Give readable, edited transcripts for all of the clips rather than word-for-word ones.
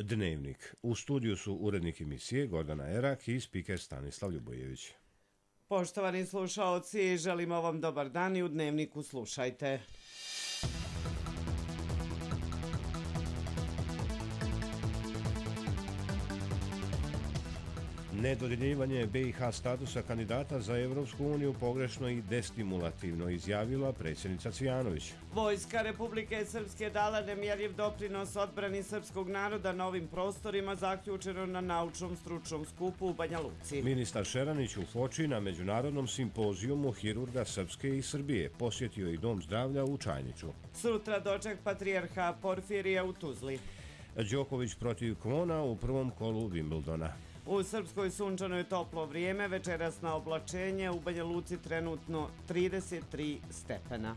Dnevnik. U studiju su urednik emisije Gordana Erak i spiker Stanislav Ljubojević. Poštovani slušaoci, želimo vam dobar dan i u Dnevniku slušajte. Nedodjeljivanje BiH statusa kandidata za Evropsku uniju pogrešno i destimulativno, izjavila predsjednica Cvijanović. Vojska Republike Srpske dala nemjerljiv doprinos odbrani srpskog naroda na ovim prostorima, zaključeno na naučnom stručnom skupu u Banja Luci. Ministar Šeranić u Foči na međunarodnom simpozijumu hirurga Srpske i Srbije posjetio i Dom zdravlja u Čajniću. Sutra doček patrijarha Porfirija u Tuzli. Đoković protiv Kvona u prvom kolu Wimbledona. U Srpskoj sunčano je toplo vrijeme, večerasno oblačenje, u Banja Luci trenutno 33 stepena.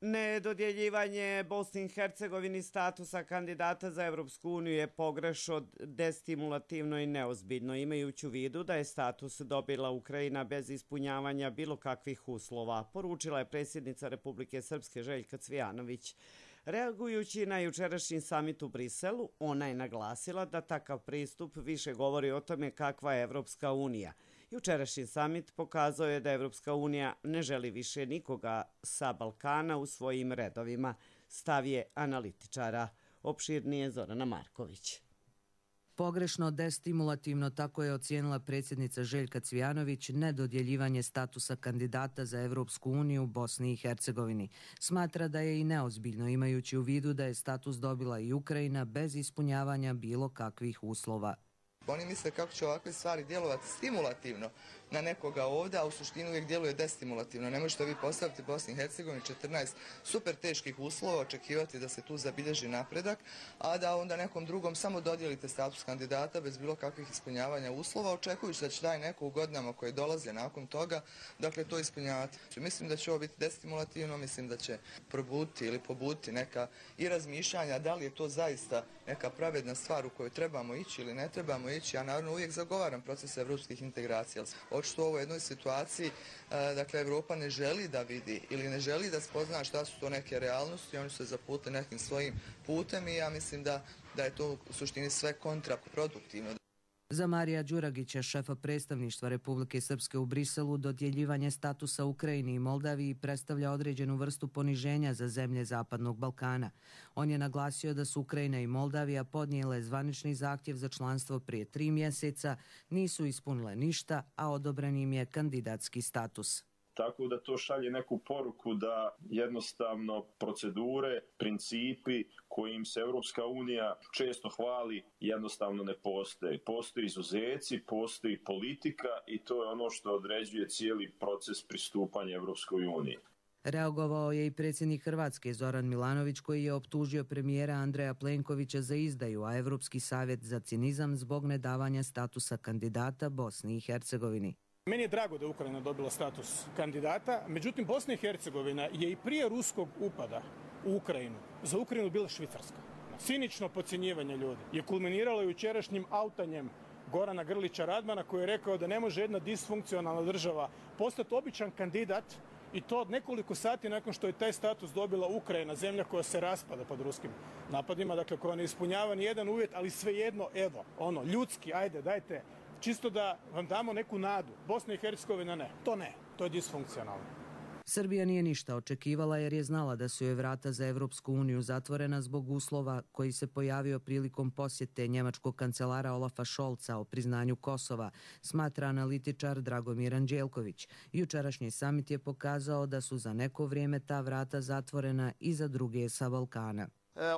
Nedodjeljivanje Bosni i Hercegovini statusa kandidata za Evropsku uniju je pogrešno, destimulativno i neozbiljno, imajući u vidu da je status dobila Ukrajina bez ispunjavanja bilo kakvih uslova, poručila je predsjednica Republike Srpske Željka Cvijanović. Reagujući na jučerašnji samit u Briselu, ona je naglasila da takav pristup više govori o tome kakva je Evropska unija. Jučerašnji samit pokazao je da Evropska unija ne želi više nikoga sa Balkana u svojim redovima, stav je analitičara. Opširnije Zorana Marković. Pogrešno, destimulativno, tako je ocijenila predsjednica Željka Cvijanović nedodjeljivanje statusa kandidata za Evropsku uniju Bosni i Hercegovini. Smatra da je i neozbiljno, imajući u vidu da je status dobila i Ukrajina bez ispunjavanja bilo kakvih uslova. Oni misle kako će ovakve stvari djelovati stimulativno na nekoga ovdje, a u suštini uvijek djeluje destimulativno. Ne možete vi postaviti Bosni i Hercegovini 14 super teških uslova, očekivati da se tu zabilježi napredak, a da onda nekom drugom samo dodijelite status kandidata bez bilo kakvih ispunjavanja uslova, očekujući da će taj neko u godinama koje dolaze nakon toga, dakle, to ispunjavati. Mislim da će ovo biti destimulativno, mislim da će probuditi ili pobuditi neka i razmišljanja da li je to zaista neka pravedna stvar u kojoj trebamo ići ili ne trebamo ići. Ja naravno uvijek zagovaram proces evropskih integracija. Očito u ovoj jednoj situaciji, dakle, Evropa ne želi da vidi ili ne želi da spozna šta su to neke realnosti, oni su se zaputili nekim svojim putem i ja mislim da je to u suštini sve kontraproduktivno. Za Marija Đuragića, šefa predstavništva Republike Srpske u Briselu, dodjeljivanje statusa Ukrajini i Moldaviji predstavlja određenu vrstu poniženja za zemlje Zapadnog Balkana. On je naglasio da su Ukrajina i Moldavija podnijele zvanični zahtjev za članstvo prije 3 mjeseca, nisu ispunile ništa, a odobren im je kandidatski status. Tako da to šalje neku poruku da jednostavno procedure, principi kojim se Evropska unija često hvali jednostavno ne postoje. Postoji izuzeci, postoji politika i to je ono što određuje cijeli proces pristupanja Evropskoj uniji. Reagovao je i predsjednik Hrvatske Zoran Milanović, koji je optužio premijera Andreja Plenkovića za izdaju, a Evropski savjet za cinizam zbog nedavanja statusa kandidata Bosni i Hercegovini. Meni je drago da je Ukrajina dobila status kandidata, međutim Bosna i Hercegovina je i prije ruskog upada u Ukrajinu za Ukrajinu bila Švicarska. Cinično podcjenjivanje ljudi je kulminiralo jučerašnjim autanjem Gorana Grlića Radmana, koji je rekao da ne može jedna disfunkcionalna država postati običan kandidat, i to od nekoliko sati nakon što je taj status dobila Ukrajina, zemlja koja se raspada pod ruskim napadima, dakle koja ne ispunjava ni jedan uvjet, ali svejedno, evo, ljudski, ajde, dajte, čisto da vam damo neku nadu. Bosna i Hercegovina ne, to je disfunkcionalno. Srbija nije ništa očekivala jer je znala da su joj vrata za Evropsku uniju zatvorena zbog uslova koji se pojavio prilikom posjete njemačkog kancelara Olafa Scholza o priznanju Kosova, smatra analitičar Dragomir Anđelković. Jučerašnji samit je pokazao da su za neko vrijeme ta vrata zatvorena i za druge sa Balkana.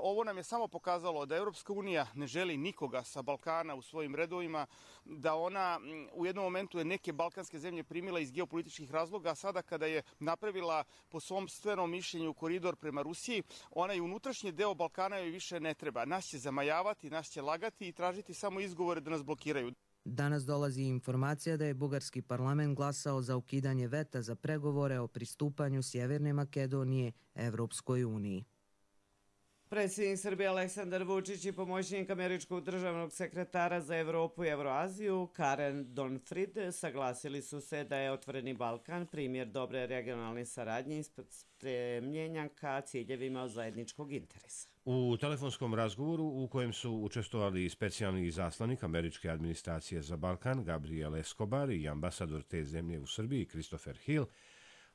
Ovo nam je samo pokazalo da Europska unija ne želi nikoga sa Balkana u svojim redovima, da ona u jednom momentu je neke balkanske zemlje primila iz geopolitičkih razloga, a sada kada je napravila po svom stvenom mišljenju koridor prema Rusiji, ona i unutrašnji deo Balkana joj više ne treba. Nas će zamajavati, nas će lagati i tražiti samo izgovore da nas blokiraju. Danas dolazi informacija da je bugarski parlament glasao za ukidanje veta za pregovore o pristupanju Sjeverne Makedonije Evropskoj uniji. Predsjednik Srbije Aleksandar Vučić i pomoćnik američkog državnog sekretara za Evropu i Evroaziju Karen Donfrid saglasili su se da je Otvoreni Balkan primjer dobre regionalne saradnje i stremljenja ka ciljevima od zajedničkog interesa. U telefonskom razgovoru u kojem su učestvovali specijalni izaslanik američke administracije za Balkan Gabriel Escobar i ambasador te zemlje u Srbiji Christopher Hill,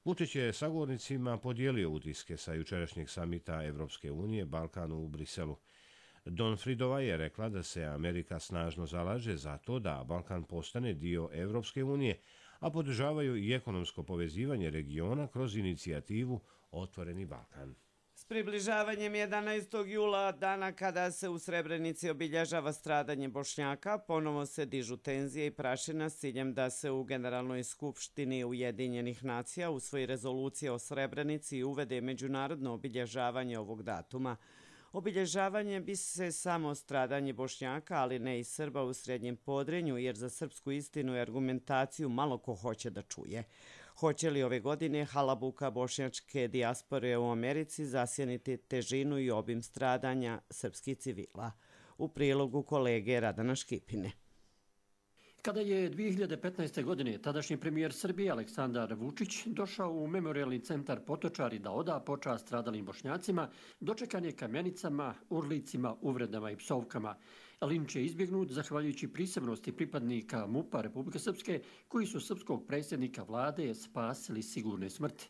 Vučić je sagovornicima podijelio utiske sa jučerašnjeg samita Evropske unije Balkanu u Briselu. Donfridova je rekla da se Amerika snažno zalaže za to da Balkan postane dio Evropske unije, a podržavaju i ekonomsko povezivanje regiona kroz inicijativu Otvoreni Balkan. S približavanjem 11. jula, dana kada se u Srebrenici obilježava stradanje Bošnjaka, ponovo se dižu tenzije i prašina s ciljem da se u Generalnoj skupštini Ujedinjenih nacija usvoji rezolucija o Srebrenici i uvede međunarodno obilježavanje ovog datuma. Obilježavanje bi se samo stradanje Bošnjaka, ali ne i Srba u Srednjem Podrinju, jer za srpsku istinu i argumentaciju malo ko hoće da čuje. Hoće li ove godine halabuka bošnjačke dijaspore u Americi zasjeniti težinu i obim stradanja srpskih civila? U prilogu kolege Radana Škipine. Kada je 2015. godine tadašnji premijer Srbije Aleksandar Vučić došao u memorijalni centar Potočari da oda počast stradalim Bošnjacima, dočekan je kamenicama, urlicima, uvredama i psovkama. Linč je izbjegnut zahvaljujući prisebnosti pripadnika MUP-a Republike Srpske koji su srpskog predsjednika vlade spasili sigurne smrti.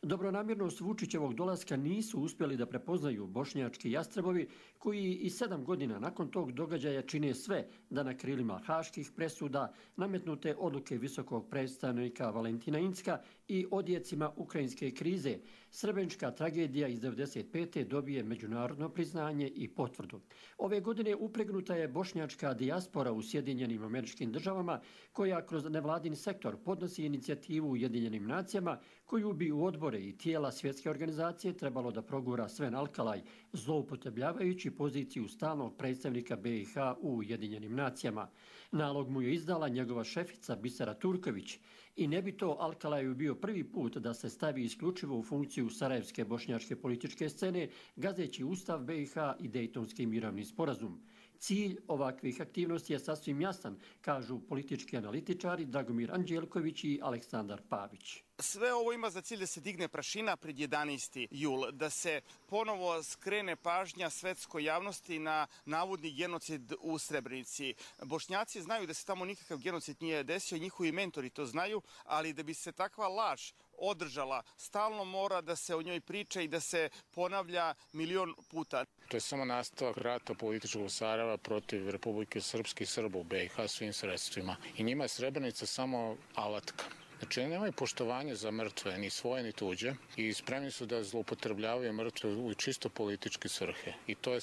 Dobronamjernost Vučićevog dolaska nisu uspjeli da prepoznaju bošnjački jastrebovi koji i 7 godina nakon tog događaja čine sve da na krilima haških presuda, nametnute odluke visokog predstavnika Valentina Incka i odjecima ukrajinske krize, srebrenička tragedija iz 1995. dobije međunarodno priznanje i potvrdu. Ove godine upregnuta je bošnjačka dijaspora u Sjedinjenim Američkim Državama koja kroz nevladin sektor podnosi inicijativu Ujedinjenim nacijama koju bi u odbore i tijela svjetske organizacije trebalo da progura Sven Alkalaj, zloupotrebljavajući poziciju stalnog predstavnika BiH u Ujedinjenim nacijama. Nalog mu je izdala njegova šefica Bisera Turković i ne bi to Alkalaju bio prvi put da se stavi isključivo u funkciju sarajevske bošnjačke političke scene, gazeći Ustav BiH i Dejtonski mirovni sporazum. Cilj ovakvih aktivnosti je sasvim jasan, kažu politički analitičari Dragomir Anđelković i Aleksandar Pavić. Sve ovo ima za cilj da se digne prašina pred 11. jul, da se ponovo skrene pažnja svetskoj javnosti na navodni genocid u Srebrenici. Bošnjaci znaju da se tamo nikakav genocid nije desio, njihovi mentori to znaju, ali da bi se takva laž održala, stalno mora da se o njoj priča i da se ponavlja milion puta. To je samo nastavak rata političkog Sarajeva protiv Republike Srpske i Srba u BiH svim sredstvima. I njima je Srebrenica samo alatka. Znači, nemaju poštovanje za mrtve, ni svoje, ni tuđe, i spremni su da zloupotrebljavaju mrtve u čisto političke svrhe. I to je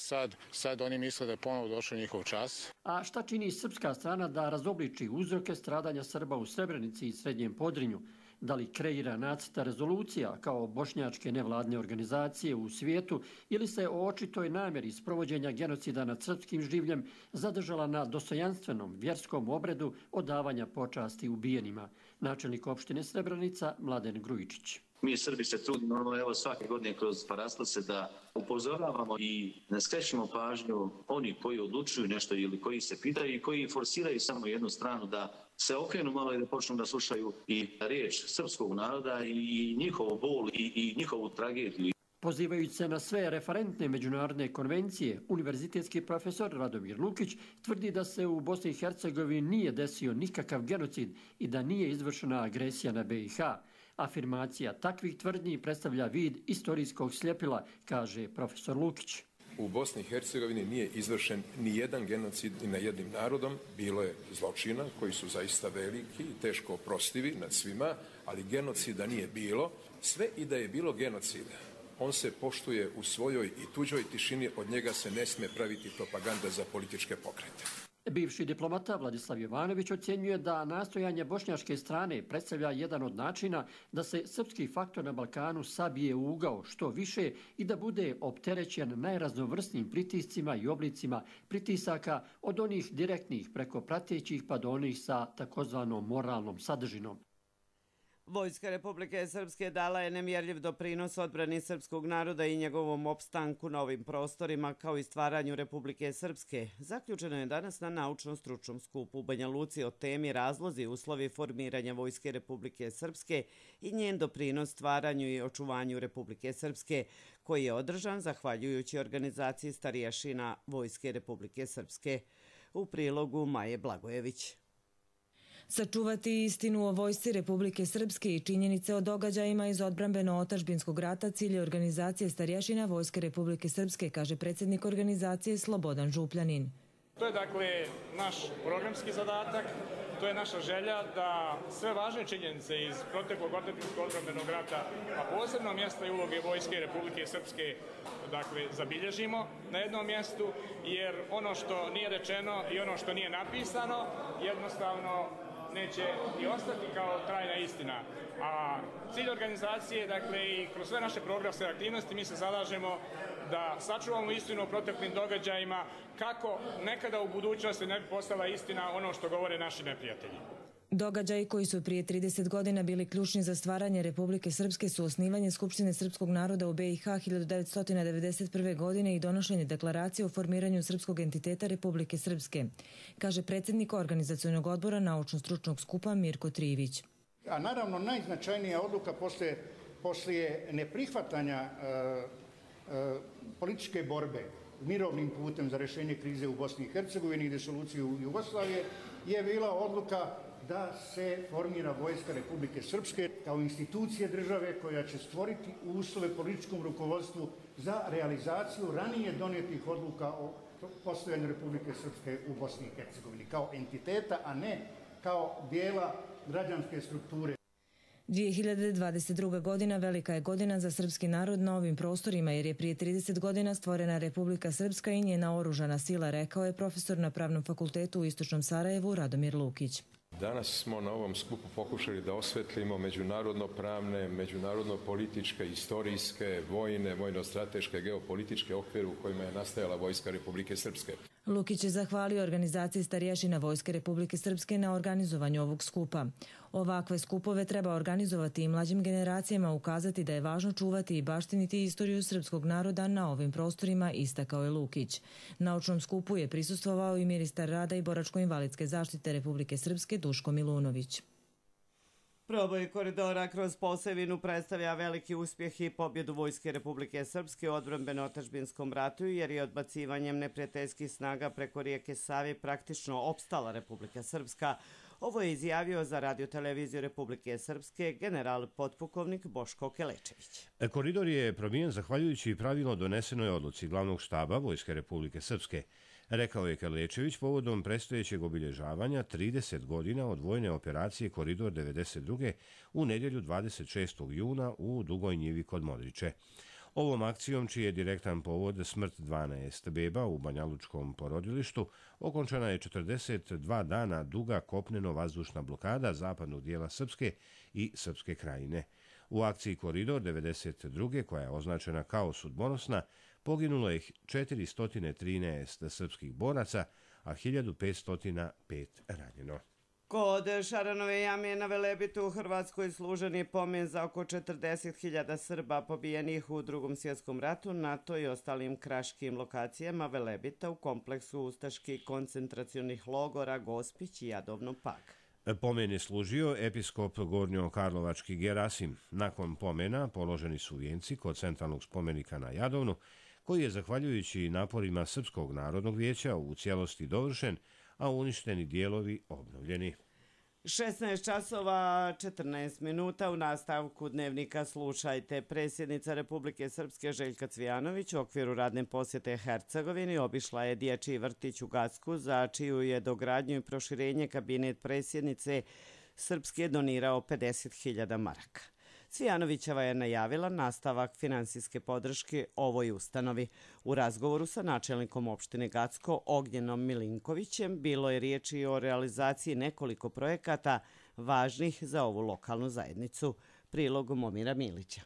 sad oni misle da je ponovo došao njihov čas. A šta čini srpska strana da razobliči uzroke stradanja Srba u Srebrenici i Srednjem Podrinju? Da li kreira nacrta rezolucija kao bošnjačke nevladne organizacije u svijetu ili se o očitoj namjeri sprovođenja genocida nad srpskim življem zadržala na dostojanstvenom vjerskom obredu odavanja počasti ubijenima? Načelnik opštine Srebrenica Mladen Grujičić. Mi Srbi se trudimo, evo svake godine kroz paraslase da upozoravamo i ne skrećemo pažnju oni koji odlučuju nešto ili koji se pitaju i koji forsiraju samo jednu stranu da se okrenu malo i da počnu da slušaju i riječ srpskog naroda i njihov bol i njihovu tragediju. Pozivajući se na sve referentne međunarodne konvencije, univerzitetski profesor Radomir Lukić tvrdi da se u Bosni i Hercegovini nije desio nikakav genocid i da nije izvršena agresija na BiH. Afirmacija takvih tvrdnji predstavlja vid istorijskog sljepila, kaže profesor Lukić. U Bosni i Hercegovini nije izvršen ni jedan genocid ni nad jednim narodom. Bilo je zločina koji su zaista veliki i teško oprostivi nad svima, ali genocida nije bilo. Sve i da je bilo genocida, on se poštuje u svojoj i tuđoj tišini, od njega se ne smije praviti propaganda za političke pokrete. Bivši diplomata Vladislav Jovanović ocjenjuje da nastojanje bošnjačke strane predstavlja jedan od načina da se srpski faktor na Balkanu sabije u ugao što više i da bude opterećen najraznovrsnijim pritiscima i oblicima pritisaka od onih direktnih preko pratećih pa do onih sa takozvanom moralnom sadržinom. Vojska Republike Srpske dala je nemjerljiv doprinos odbrani srpskog naroda i njegovom opstanku na ovim prostorima, kao i stvaranju Republike Srpske. Zaključeno je danas na naučno-stručnom skupu u Banja Luci o temi razlozi i uslovi formiranja Vojske Republike Srpske i njen doprinos stvaranju i očuvanju Republike Srpske, koji je održan zahvaljujući organizaciji starješina Vojske Republike Srpske. U prilogu Maje Blagojević. Sačuvati istinu o Vojsci Republike Srpske i činjenice o događajima iz odbrambeno-otadžbinskog rata cilj je organizacije starješina Vojske Republike Srpske, kaže predsjednik organizacije Slobodan Župljanin. To je dakle naš programski zadatak, to je naša želja da sve važne činjenice iz proteklog otadžbinskog odbrambenog rata, a posebno mjesta i uloge Vojske Republike Srpske, dakle, zabilježimo na jednom mjestu, jer ono što nije rečeno i ono što nije napisano jednostavno neće i ostati kao trajna istina. A cilj organizacije, dakle, i kroz sve naše programske aktivnosti mi se zalažemo da sačuvamo istinu o proteklim događajima kako nekada u budućnosti ne bi postala istina ono što govore naši neprijatelji. Događaji koji su prije 30 godina bili ključni za stvaranje Republike Srpske su osnivanje Skupštine srpskog naroda u BiH 1991. godine i donošenje deklaracije o formiranju srpskog entiteta Republike Srpske, kaže predsjednik organizacionog odbora naučno-stručnog skupa Mirko Trivić. A naravno najznačajnija odluka poslije neprihvatanja političke borbe mirovnim putem za rješenje krize u Bosni i Hercegovini i disoluciju Jugoslavije je bila odluka da se formira Vojska Republike Srpske kao institucije države koja će stvoriti uslove političkom rukovodstvu za realizaciju ranije donijetih odluka o postojanju Republike Srpske u Bosni i Hercegovini kao entiteta, a ne kao dijela građanske strukture. 2022. godina velika je godina za srpski narod na ovim prostorima jer je prije 30 godina stvorena Republika Srpska i njena oružana sila, rekao je profesor na Pravnom fakultetu u Istočnom Sarajevu Radomir Lukić. Danas smo na ovom skupu pokušali da osvetlimo međunarodno-pravne, međunarodno-političke, istorijske, vojne, vojno-strateške, geopolitičke okvire u kojima je nastajala Vojska Republike Srpske. Lukić je zahvalio organizaciji starješina Vojske Republike Srpske na organizovanju ovog skupa. Ovakve skupove treba organizovati i mlađim generacijama, ukazati da je važno čuvati i baštiniti istoriju srpskog naroda na ovim prostorima, istakao je Lukić. Naučnom skupu je prisustvovao i ministar rada i boračko-invalidske zaštite Republike Srpske Duško Milunović. Proboj koridora kroz Posavinu predstavlja veliki uspjeh i pobjedu Vojske Republike Srpske u odbrambeno-otadžbinskom ratu, jer je odbacivanjem neprijateljskih snaga preko rijeke Save praktično opstala Republika Srpska. Ovo je izjavio za radioteleviziju Republike Srpske general potpukovnik Boško Kelečević. Koridor je promijen zahvaljujući pravilno donesenoj odluci glavnog štaba Vojske Republike Srpske, rekao je Kelečević povodom predstojećeg obilježavanja 30 godina od vojne operacije Koridor 92. u nedjelju 26. juna u Dugoj njivi kod Modriče. Ovom akcijom, čiji je direktan povod smrt 12 beba u Banjalučkom porodilištu, okončana je 42 dana duga kopneno-vazdušna blokada zapadnog dijela Srpske i Srpske krajine. U akciji Koridor 92. koja je označena kao sudbonosna, poginulo je 413 srpskih boraca, a 1505 ranjeno. Kod Šaranove jame na Velebitu u Hrvatskoj služen je pomen za oko 40.000 Srba pobijenih u Drugom svjetskom ratu na toj i ostalim kraškim lokacijama Velebita u kompleksu ustaških koncentracionih logora Gospić i Jadovno Pag. Pomen je služio episkop Gornjo-Karlovački Gerasim. Nakon pomena položeni su vijenci kod centralnog spomenika na Jadovnu, koji je zahvaljujući naporima Srpskog narodnog vijeća u cijelosti dovršen, a uništeni dijelovi obnovljeni. 16 časova 14 minuta u nastavku dnevnika slušajte. Predsjednica Republike Srpske Željka Cvijanović u okviru radne posjete Hercegovini obišla je dječji vrtić u Gacku, za čiju je dogradnju i proširenje kabinet predsjednice Srpske donirao 50.000 maraka. Cvijanovićeva je najavila nastavak finansijske podrške ovoj ustanovi. U razgovoru sa načelnikom opštine Gacko Ognjenom Milinkovićem bilo je riječi o realizaciji nekoliko projekata važnih za ovu lokalnu zajednicu. Prilog Momira Milića.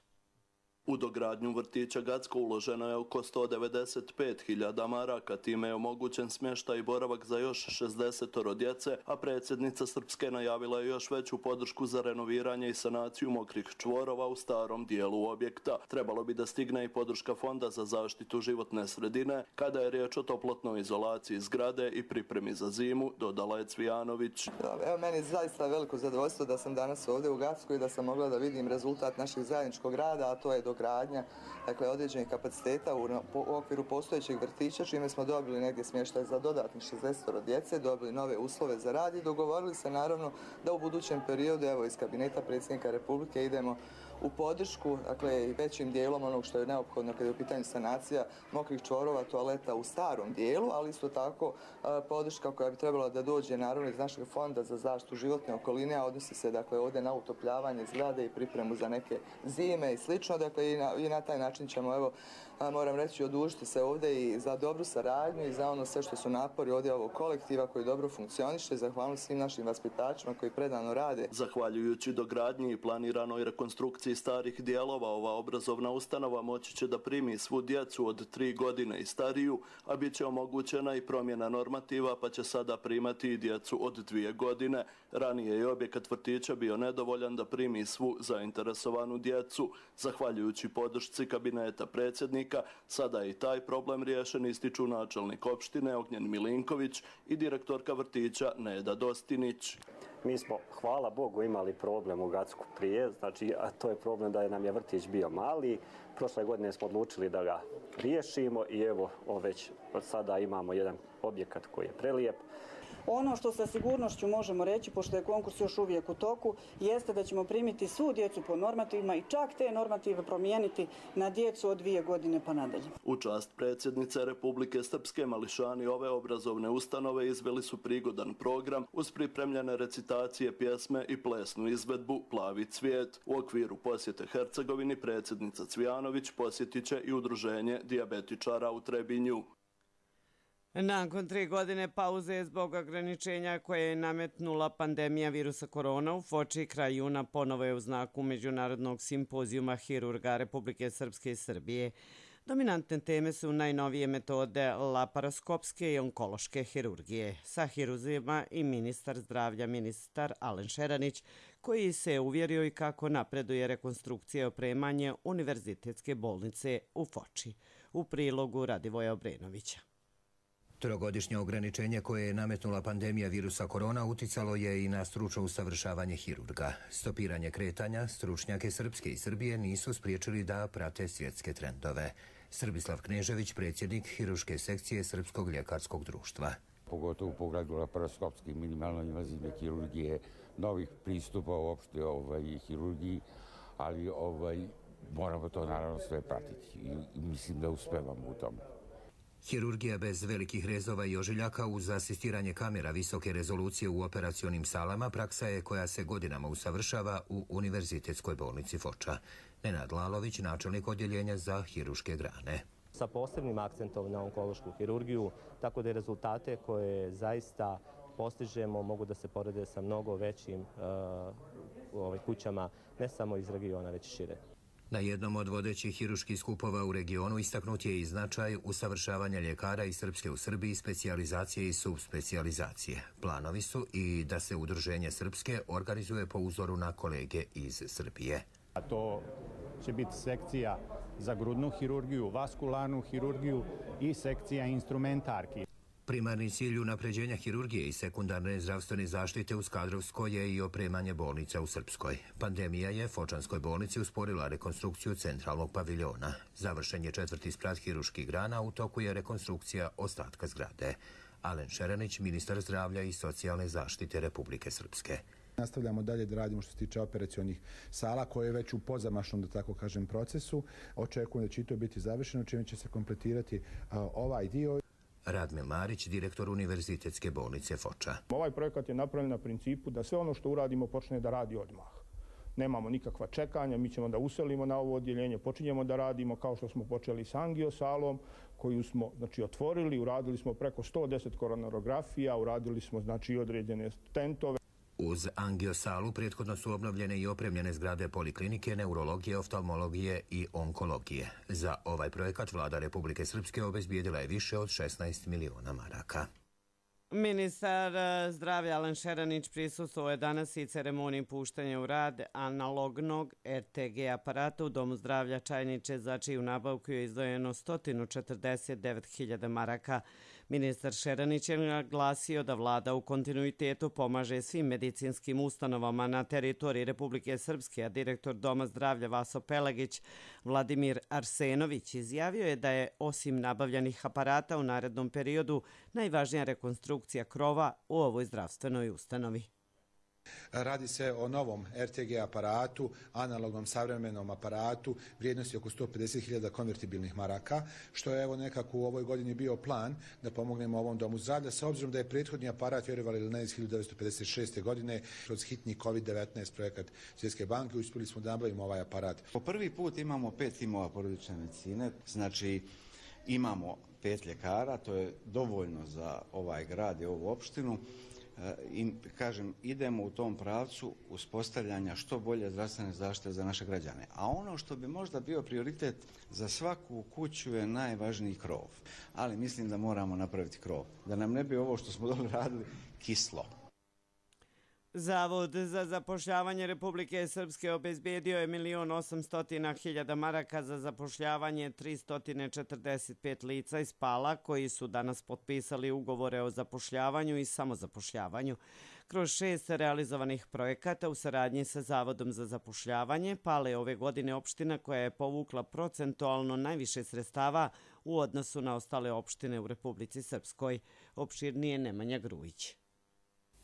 U dogradnju vrtića Gacko uloženo je oko 195.000 maraka, time je omogućen smještaj i boravak za još 60 djece, a predsjednica Srpske najavila je još veću podršku za renoviranje i sanaciju mokrih čvorova u starom dijelu objekta. Trebalo bi da stigne i podrška Fonda za zaštitu životne sredine kada je riječ o toplotnoj izolaciji zgrade i pripremi za zimu, dodala je Cvijanović. Evo, meni je zaista veliko zadovoljstvo da sam danas ovdje u Gacku i da sam mogla da vidim rezultat našeg zajedničkog rada, a to je dogradnja određenih kapaciteta u okviru postojećeg vrtića, čime smo dobili negdje smještaj za dodatnih 60 djece, dobili nove uslove za rad i dogovorili se naravno da u budućem periodu, evo iz kabineta predsjednika Republike, idemo u podršku, i većim dijelom onog što je neophodno kada je u pitanju sanacija mokrih čvorova, toaleta u starom dijelu, ali isto tako podrška koja bi trebala da dođe naravno iz našeg Fonda za zaštitu životne okoline, a odnosi se ovdje na utopljavanje zgrade i pripremu za neke zime i slično, i na taj način ćemo, moram reći, odužiti se ovdje i za dobru saradnju i za ono sve što su napori ovdje ovog kolektiva koji dobro funkcioniše, zahvaljujem svim našim vaspitačima koji predano rade. Zahvaljujući dogradnji i planiranoj rekonstrukciji starih dijelova, ova obrazovna ustanova moći će da primi svu djecu od 3 godine i stariju, a bit će omogućena i promjena normativa, pa će sada primati i djecu od 2 godine. Ranije je objekat vrtića bio nedovoljan da primi svu zainteresovanu djecu. Zahvaljujući podršci kabineta predsjednika, sada je i taj problem riješen, ističu načelnik opštine Ognjen Milinković i direktorka vrtića Neda Dostinić. Mi smo, hvala Bogu, imali problem u Gacku prije, a to je problem da nam je vrtić bio mali. Prošle godine smo odlučili da ga riješimo i evo već sada imamo jedan objekat koji je prelijep. Ono što sa sigurnošću možemo reći, pošto je konkurs još uvijek u toku, jeste da ćemo primiti svu djecu po normativima i čak te normative promijeniti na djecu od 2 godine pa nadalje. U čast predsjednice Republike Srpske mališani ove obrazovne ustanove izveli su prigodan program uz pripremljene recitacije, pjesme i plesnu izvedbu Plavi cvijet. U okviru posjete Hercegovini predsjednica Cvijanović posjetit će i udruženje dijabetičara u Trebinju. Nakon 3 godine pauze zbog ograničenja koje je nametnula pandemija virusa korona u Foči, kraj juna ponovo je u znaku Međunarodnog simpozijuma hirurga Republike Srpske i Srbije. Dominantne teme su najnovije metode laparoskopske i onkološke hirurgije. Sa hiruzima i ministar zdravlja, ministar Alen Šeranić, koji se uvjerio i kako napreduje rekonstrukcija i opremanje Univerzitetske bolnice u Foči. U prilogu Radivoja Obrenovića. Trogodišnje ograničenje koje je nametnula pandemija virusa korona uticalo je i na stručno usavršavanje hirurga. Stopiranje kretanja, stručnjake Srpske i Srbije nisu spriječili da prate svjetske trendove. Srbislav Knežević, predsjednik hirurške sekcije Srpskog ljekarskog društva. Pogotovo u pogledu laparoskopske minimalno invazivne hirurgije, novih pristupa uopšte hirurgiji, ali moramo to naravno sve pratiti i mislim da uspevamo u tome. Hirurgija bez velikih rezova i ožiljaka uz asistiranje kamera visoke rezolucije u operacionim salama praksa je koja se godinama usavršava u Univerzitetskoj bolnici Foča. Nenad Lalović, načelnik odjeljenja za hirurške grane. Sa posebnim akcentom na onkološku hirurgiju, tako da rezultate koje zaista postižemo mogu da se porede sa mnogo većim kućama, ne samo iz regiona, već šire. Na jednom od vodećih hirurških skupova u regionu istaknut je i značaj usavršavanja ljekara iz Srpske u Srbiji, specijalizacije i subspecijalizacije. Planovi su i da se udruženje Srpske organizuje po uzoru na kolege iz Srbije. A to će biti sekcija za grudnu hirurgiju, vaskularnu hirurgiju i sekcija instrumentarki. Primarni cilj unapređenja hirurgije i sekundarne zdravstvene zaštite u Skadrovsko je i opremanje bolnica u Srpskoj. Pandemija je Fočanskoj bolnici usporila rekonstrukciju centralnog paviljona. Završen je 4. sprat hirurških grana, u toku je rekonstrukcija ostatka zgrade. Alen Šeranić, ministar zdravlja i socijalne zaštite Republike Srpske. Nastavljamo dalje da radimo što se tiče operacionih sala koje je već u pozamašnom, da tako kažem, procesu. Očekujem da će to biti završeno, čime će se kompletirati ovaj dio. Radmil Marić, direktor Univerzitetske bolnice Foča. Ovaj projekat je napravljen na principu da sve ono što uradimo počne da radi odmah. Nemamo nikakva čekanja, mi ćemo da uselimo na ovo odjeljenje, počinjemo da radimo kao što smo počeli s angiosalom, koju smo otvorili, uradili smo preko 110 koronarografija, uradili smo određene stentove. Uz angiosalu prethodno su obnovljene i opremljene zgrade poliklinike, neurologije, oftalmologije i onkologije. Za ovaj projekat vlada Republike Srpske obezbijedila je više od 16 miliona maraka. Ministar zdravlja Alen Šeranić prisustvovao je danas i ceremoniji puštanja u rad analognog RTG aparata u Domu zdravlja Čajniče, za čiju nabavku je izdvojeno 149.000 maraka. Ministar Šeranić je naglasio da vlada u kontinuitetu pomaže svim medicinskim ustanovama na teritoriji Republike Srpske, a direktor Doma zdravlja Vaso Pelagić Vladimir Arsenović izjavio je da je osim nabavljanih aparata u narednom periodu najvažnija rekonstrukcija krova u ovoj zdravstvenoj ustanovi. Radi se o novom RTG aparatu, analognom savremenom aparatu, vrijednosti oko 150.000 konvertibilnih maraka, što je evo nekako u ovoj godini bio plan da pomognemo ovom domu zdravlja, sa obzirom da je prethodni aparat, vjerovali ili ne, iz 1956. godine, kroz hitni COVID-19 projekat Svjetske banke, uspjeli smo da nabavimo ovaj aparat. Po prvi put imamo 5 timova porodične medicine, znači imamo 5 ljekara, to je dovoljno za ovaj grad i ovu opštinu. I kažem, idemo u tom pravcu uspostavljanja što bolje zdravstvene zaštite za naše građane. A ono što bi možda bio prioritet za svaku kuću je najvažniji krov. Ali mislim da moramo napraviti krov. Da nam ne bi ovo što smo dobro radili kislo. Zavod za zapošljavanje Republike Srpske obezbijedio je 1.800.000 maraka za zapošljavanje 345 lica iz Pala koji su danas potpisali ugovore o zapošljavanju i samozapošljavanju. Kroz 6 realizovanih projekata u saradnji sa Zavodom za zapošljavanje, Pale je ove godine opština koja je povukla procentualno najviše sredstava u odnosu na ostale opštine u Republici Srpskoj. Opširnije Nemanja Grujić.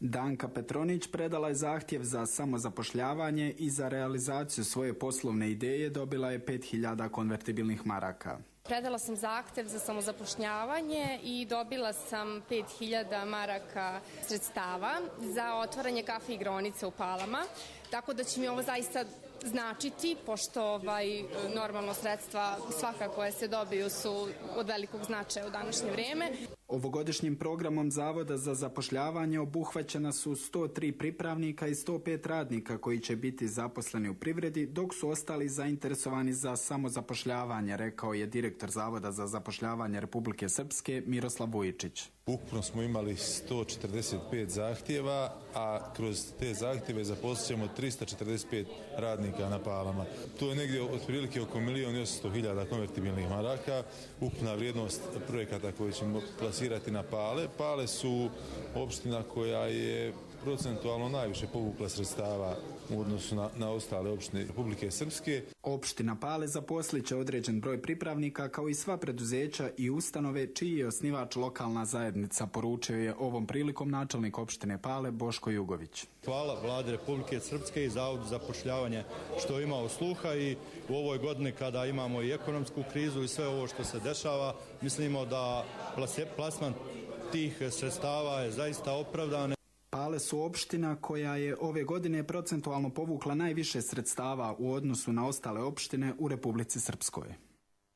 Danka Petronić predala je zahtjev za samozapošljavanje i za realizaciju svoje poslovne ideje dobila je 5.000 konvertibilnih maraka. Predala sam zahtjev za samozapošljavanje i dobila sam 5.000 maraka sredstava za otvaranje kafe igraonice u Palama, tako da će mi ovo zaista značiti, pošto normalno sredstva svaka koja se dobiju su od velikog značaja u današnje vrijeme. Ovogodišnjim programom Zavoda za zapošljavanje obuhvaćena su 103 pripravnika i 105 radnika koji će biti zaposleni u privredi, dok su ostali zainteresovani za samozapošljavanje, rekao je direktor Zavoda za zapošljavanje Republike Srpske Miroslav Vujičić. Ukupno smo imali 145 zahtjeva, a kroz te zahtjeve zaposlit ćemo 345 radnika na Palama. To je negdje otprilike oko 1.800.000 konvertibilnih maraka, ukupna vrijednost projekata koje ćemo plasirati na Pale. Pale su opština koja je procentualno najviše povukla sredstava u odnosu na ostale opštine Republike Srpske. Opština Pale zaposlit će određen broj pripravnika kao i sva preduzeća i ustanove čiji je osnivač lokalna zajednica, poručio je ovom prilikom načelnik opštine Pale Boško Jugović. Hvala Vladi Republike Srpske i Zavodu za zapošljavanje što je imao sluha i u ovoj godini kada imamo i ekonomsku krizu i sve ovo što se dešava, mislimo da plasman tih sredstava je zaista opravdan. Pale su opština koja je ove godine procentualno povukla najviše sredstava u odnosu na ostale opštine u Republici Srpskoj.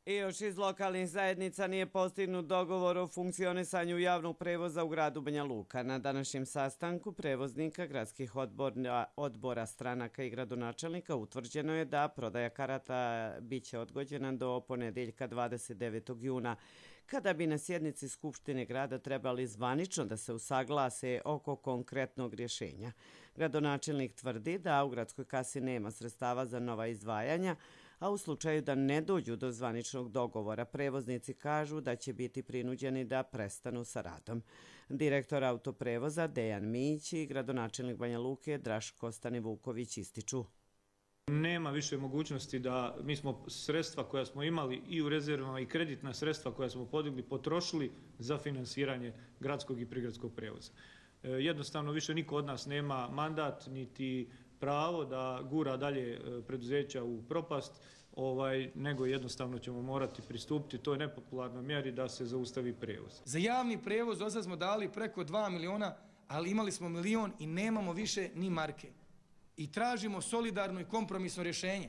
I još iz lokalnih zajednica nije postignut dogovor o funkcionisanju javnog prevoza u gradu Banja Luka. Na današnjem sastanku prevoznika, gradskih odbora stranaka i gradonačelnika utvrđeno je da prodaja karata biće odgođena do ponedeljka 29. juna, kada bi na sjednici Skupštine grada trebali zvanično da se usaglase oko konkretnog rješenja. Gradonačelnik tvrdi da u gradskoj kasi nema sredstava za nova izdvajanja, a u slučaju da ne dođu do zvaničnog dogovora, prevoznici kažu da će biti prinuđeni da prestanu sa radom. Direktor autoprevoza Dejan Mić i gradonačelnik Banja Luke Draško Stanivuković ističu. Nema više mogućnosti da mi smo sredstva koja smo imali i u rezervama i kreditna sredstva koja smo podigli potrošili za finansiranje gradskog i prigradskog prevoza. Jednostavno više niko od nas nema mandat niti pravo da gura dalje preduzeća u propast, nego jednostavno ćemo morati pristupiti toj nepopularnoj mjeri da se zaustavi prevoz. Za javni prevoz do sad smo dali preko 2 miliona, ali imali smo 1 milion i nemamo više ni marke. I tražimo solidarno i kompromisno rješenje.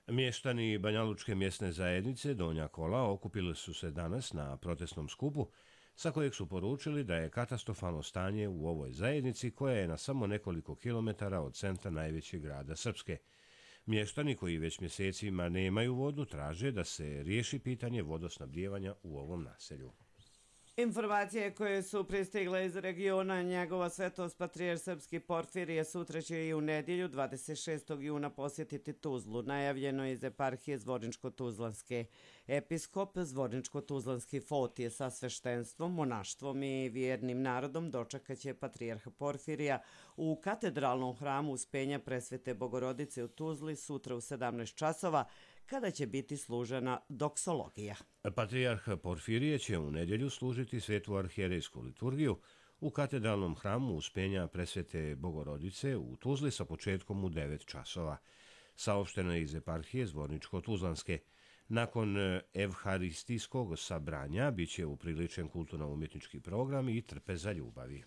Mještani Banjalučke mjesne zajednice Donja Kola okupili su se danas na protestnom skupu sa kojeg su poručili da je katastrofalno stanje u ovoj zajednici koja je na samo nekoliko kilometara od centra najvećeg grada Srpske. Mještani koji već mjesecima nemaju vodu traže da se riješi pitanje vodosnabdijevanja u ovom naselju. Informacije koje su pristigle iz regiona njegova svetost patrijarh srpski Porfirije sutra će i u nedjelju 26. juna posjetiti Tuzlu, najavljeno iz eparhije Zvorničko-Tuzlanske. Episkop Zvorničko-Tuzlanski Fotije sa sveštenstvom, monaštvom i vjernim narodom dočekaće patrijarha Porfirija u katedralnom hramu Uspenja Presvete Bogorodice u Tuzli sutra u 17 časova, kada će biti služena doksologija. Patrijarh Porfirije će u nedjelju služiti svetu arhijerejsku liturgiju u katedralnom hramu Uspenja Presvete Bogorodice u Tuzli sa početkom u 9 časova. Saopšteno je iz eparhije Zvorničko-Tuzlanske. Nakon evharistijskog sabranja biće upriličen kulturno-umjetnički program i trpeza ljubavi.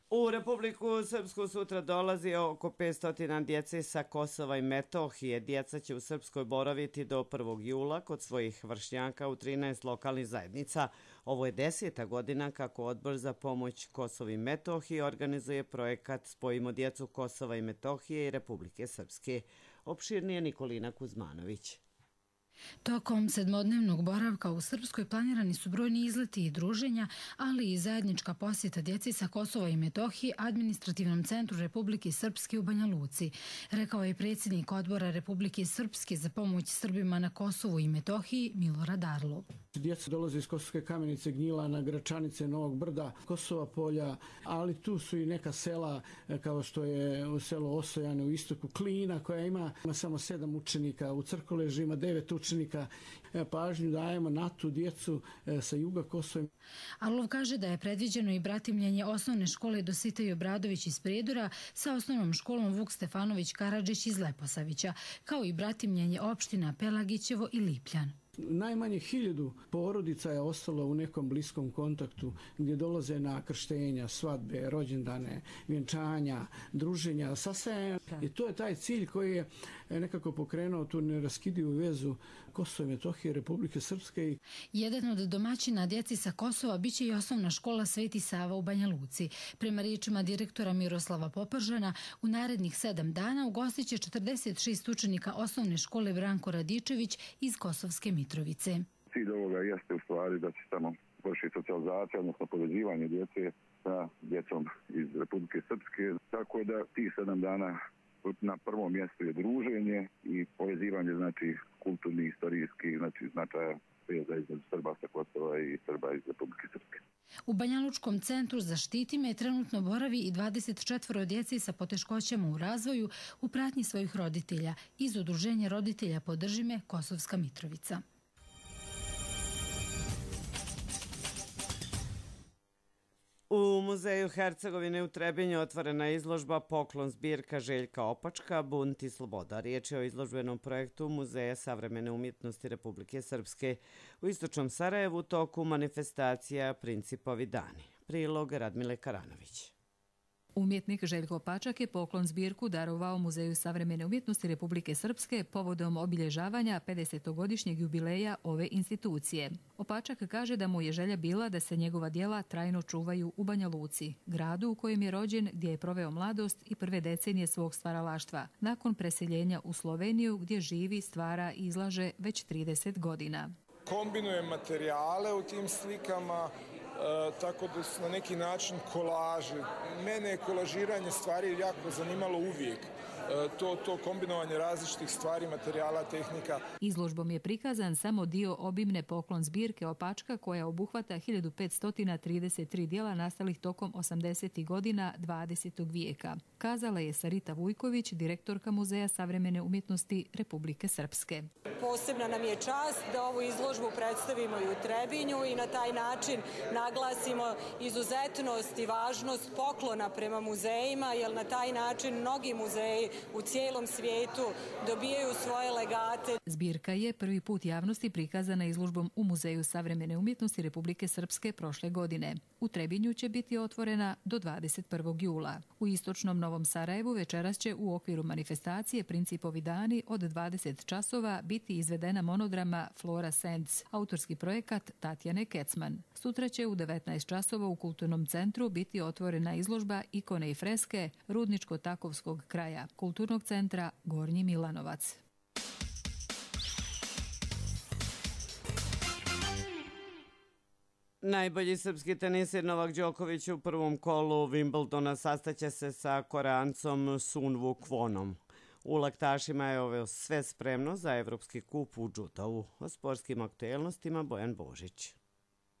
U Republiku Srpsku sutra dolazi oko 500 djece sa Kosova i Metohije. Djeca će u Srpskoj boraviti do 1. jula kod svojih vršnjaka u 13 lokalnih zajednica. Ovo je 10. godina kako Odbor za pomoć Kosovu i Metohiji organizuje projekat Spojimo djecu Kosova i Metohije i Republike Srpske. Opširnije Nikolina Kuzmanović. Tokom 7-dnevnog boravka u Srpskoj planirani su brojni izleti i druženja, ali i zajednička posjeta djeci sa Kosova i Metohije administrativnom centru Republike Srpske u Banja Luci, rekao je predsjednik Odbora Republike Srpske za pomoć Srbima na Kosovu i Metohiji Milorad Arlov. Djeca dolaze iz Kosovske Kamenice, Gnjilana, Gračanice, Novog Brda, Kosova Polja, ali tu su i neka sela kao što je u selo Osojane u istoku, Klina koja ima samo 7 učenika, u Crkoleži ima 9 učenika. Pažnju dajemo na tu djecu sa juga Kosova. Arlov kaže da je predviđeno i bratimljenje osnovne škole Dositej Obradović iz Prijedora sa osnovnom školom Vuk Stefanović Karadžić iz Leposavića, kao i bratimljenje opština Pelagićevo i Lipljan. Najmanje 1000 porodica je ostalo u nekom bliskom kontaktu gdje dolaze na krštenja, svadbe, rođendane, vjenčanja, druženja, sasvim. I to je taj cilj koji je nekako pokrenuo tu neraskidivu vezu Kosova i Metohije, Republike Srpske. Jedan od domaćina djeci sa Kosova biće i osnovna škola Sveti Sava u Banja Luci. Prema riječima direktora Miroslava Popržana, u narednih 7 dana ugostit će 46 učenika osnovne škole Branko Radičević iz Kosovske Mitrovice. Cilj ovoga jeste u stvari da će tamo vršiti socijalizacija, odnosno povezivanje djece sa djecom iz Republike Srpske. Tako da tih 7 dana na prvom mjestu je druženje i povezivanje, znači kulturni, istorijski, znači značaja veza između Srba sa Kosova i Srba iz Republike Srpske. U Banjalučkom centru Zaštiti me trenutno boravi i 24 djece sa poteškoćama u razvoju u pratnji svojih roditelja iz Udruženja roditelja Podrži me Kosovska Mitrovica. U Muzeju Hercegovine u Trebinju otvorena je izložba Poklon zbirka Željka Opačka, Bunt i sloboda. Riječ je o izložbenom projektu Muzeja savremene umjetnosti Republike Srpske. U istočnom Sarajevu toku manifestacija Principovi dani. Prilog Radmile Karanović. Umjetnik Željko Opačak je poklon zbirku darovao Muzeju savremene umjetnosti Republike Srpske povodom obilježavanja 50-godišnjeg jubileja ove institucije. Opačak kaže da mu je želja bila da se njegova djela trajno čuvaju u Banja Luci, gradu u kojem je rođen, gdje je proveo mladost i prve decenije svog stvaralaštva, nakon preseljenja u Sloveniju gdje živi, stvara i izlaže već 30 godina. Kombinujem materijale u tim slikama, tako da su na neki način kolaži. Mene je kolažiranje stvari jako zanimalo uvijek. To kombinovanje različitih stvari, materijala, tehnika. Izložbom je prikazan samo dio obimne poklon zbirke Opačka koja obuhvata 1533 djela nastalih tokom 80. godina 20. vijeka. Kazala je Sarita Vujković, direktorka Muzeja savremene umjetnosti Republike Srpske. Posebna nam je čast da ovu izložbu predstavimo i u Trebinju i na taj način naglasimo izuzetnost i važnost poklona prema muzejima, jer na taj način mnogi muzeji u cijelom svijetu dobijaju svoje legate. Zbirka je prvi put javnosti prikazana izložbom u Muzeju savremene umjetnosti Republike Srpske prošle godine. U Trebinju će biti otvorena do 21. jula. U istočnom Novom Sarajevu večeras će u okviru manifestacije Principovi dani od 20 časova biti izvedena monodrama Fluorescence, autorski projekat Tatjane Kecman. Sutra će u 19 časova u Kulturnom centru biti otvorena izložba Ikone i freske Rudničko-Takovskog kraja, Kulturnog centra Gornji Milanovac. Najbolji srpski teniser Novak Đoković u prvom kolu Wimbledona sastaće se sa Koreancom Sunwu Kwonom. U laktašima je ovo sve spremno za Evropski kup u džudovu. O sportskim aktuelnostima Bojan Božić.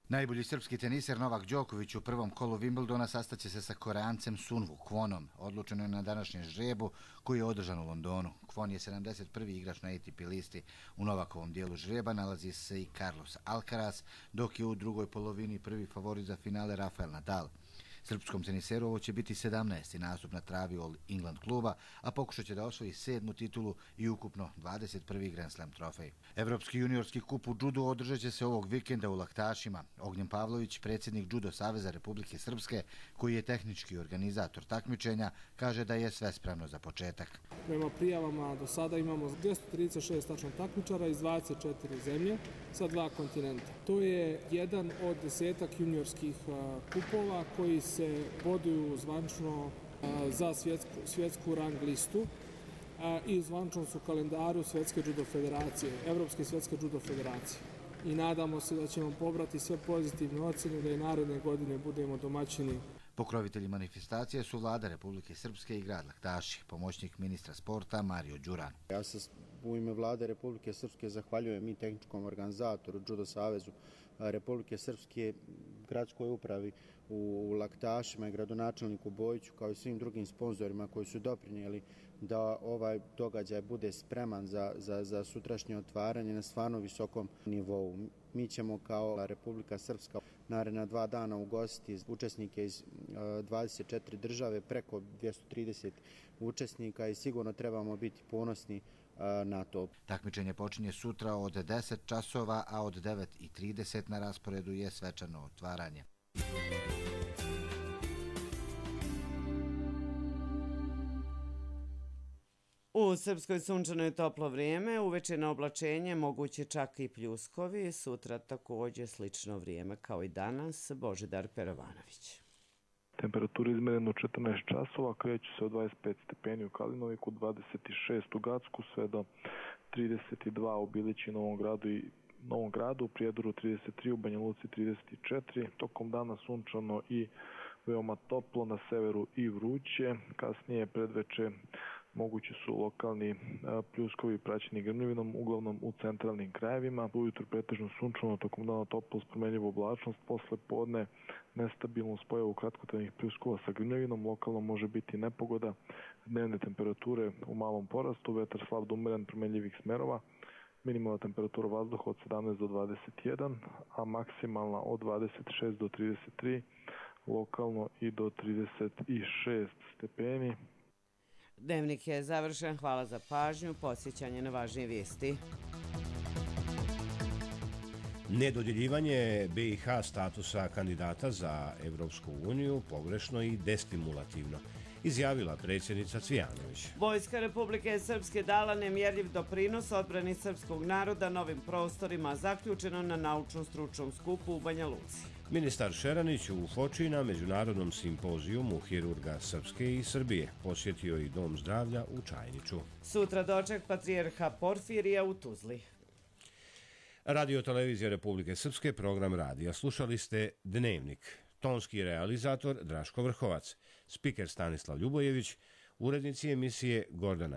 Najbolji srpski teniser Novak Đoković u prvom kolu Wimbledona sastaće se sa Koreancem Sunwu Kwonom. Odlučeno je na današnjem žrebu koji je održan u Londonu. Kwon je 71. igrač na ATP listi. U Novakovom dijelu žreba nalazi se i Carlos Alcaraz, dok je u drugoj polovini prvi favorit za finale Rafael Nadal. Srpskom teniseru ovo će biti 17. nastup na travi All England kluba, a pokušat će da osvoji 7. titulu i ukupno 21. Grand Slam trofej. Evropski juniorski kup u džudu održat će se ovog vikenda u Laktašima. Ognjen Pavlović, predsjednik Džudo saveza Republike Srpske, koji je tehnički organizator takmičenja, kaže da je sve spremno za početak. Prema prijavama do sada imamo 236 tačno takmičara iz 24 zemlje sa 2 kontinenta. To je jedan od 10 juniorskih kupova koji se boduju zvančno za svjetsku rang listu i zvančno su kalendaru Svjetske judo federacije, Evropske svjetske judo federacije. I nadamo se da ćemo pobrati sve pozitivne ocjene da i naredne godine budemo domaćini. Pokrovitelji manifestacije su vlada Republike Srpske i grad Laktaši, pomoćnik ministra sporta Mario Đuran. Ja se u ime vlade Republike Srpske zahvaljujem i tehničkom organizatoru Džudo savezu Republike Srpske, gradskoj upravi u Laktašima i gradonačelniku Bojiću, kao i svim drugim sponzorima koji su doprinijeli da ovaj događaj bude spreman za sutrašnje otvaranje na stvarno visokom nivou. Mi ćemo kao Republika Srpska naredna 2 dana ugostiti učesnike iz 24 države, preko 230 učesnika i sigurno trebamo biti ponosni na to. Takmičenje počinje sutra od 10 časova, a od 9:30 na rasporedu je svečano otvaranje. U Srpskoj sunčano je toplo vrijeme, uveče na oblačenje moguće čak i pljuskovi, sutra također slično vrijeme kao i danas. Božidar Perovanović. Temperatura izmerena u 14 časova, kreću se od 25 stepeni u Kalinoviku, 26 u Gacku, sve do 32 u Bilići, Novom gradu, u Prijedoru 33, u Banja Luci 34, tokom dana sunčano i veoma toplo, na severu i vruće, kasnije predveče mogući su lokalni pljuskovi praćeni grmljavinom, uglavnom u centralnim krajevima. Ujutro pretežno sunčano, tokom dana toplo s promenljivom oblačnost, posle podne nestabilnu spojavu kratkotrajnih pljuskova sa grmljavinom, lokalno može biti nepogoda, dnevne temperature u malom porastu, vetar slab do umeren promenljivih smerova, minimalna temperatura vazduha od 17 do 21, a maksimalna od 26 do 33, lokalno i do 36 stepeni. Dnevnik je završen, hvala za pažnju, podsjećanje na važnije vijesti. Nedodjeljivanje BiH statusa kandidata za Evropsku uniju pogrešno i destimulativno, izjavila predsjednica Cvijanović. Vojska Republike Srpske dala nemjerljiv doprinos odbrani srpskog naroda novim prostorima, zaključeno na naučno-stručnom skupu u Banja Luci. Ministar Šeranić u Foči na međunarodnom simpozijumu hirurga Srpske i Srbije posjetio i Dom zdravlja u Čajniču. Sutra doček patrijarha Porfirija u Tuzli. Radio Televizija Republike Srpske, program radija. Slušali ste Dnevnik. Tonski realizator Draško Vrhovac, spiker Stanislav Ljubojević, urednici emisije Gordana